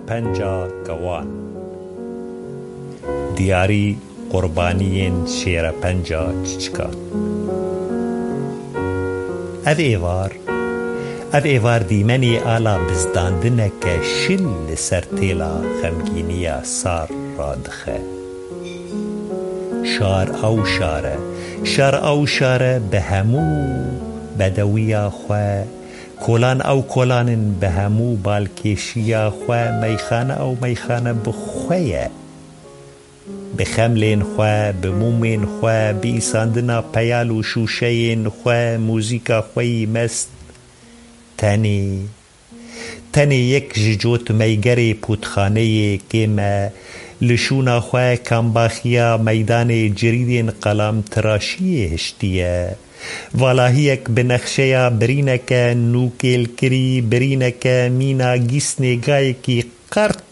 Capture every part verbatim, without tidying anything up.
Penca kewan. Diyarî qurbaniyên şêrepenca çiçikan. Ev êvar, ev êvar dîmenê ala bizdandineke şil li ser têla xemgîniya sar radixe. Şar ew şar e, şar ew şar e bi hemû bedewiya xwe, kolan ew kolan in bi hemû balkêşiya xwe, meyxane ew meyxane bi xwe ye. Bi xemlên xwe, bi mûmên xwe, bi îsandina peyal û şûşeyên xwe, mûzîka xwe yî mest. Tenê, tenê yek ji cotmeygerê pûtxaneyê kêm e, li şûna xwe kambaxiya meydanê cirîdên qelamtiraşiyê hiştiye. Valahiyek bi nexşeya birîneke nûkêlkirî, birîneke mîna gîsnê gayekî qert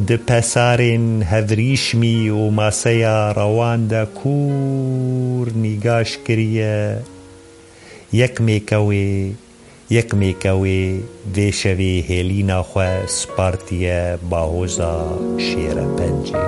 di pesarên hevrîşmî û maseya rewan de kûr nîgaş kiriye. Yek mêkewê, yek mêkewê vê şevê hêlîna xwe spartiye bahoza şêrepencê.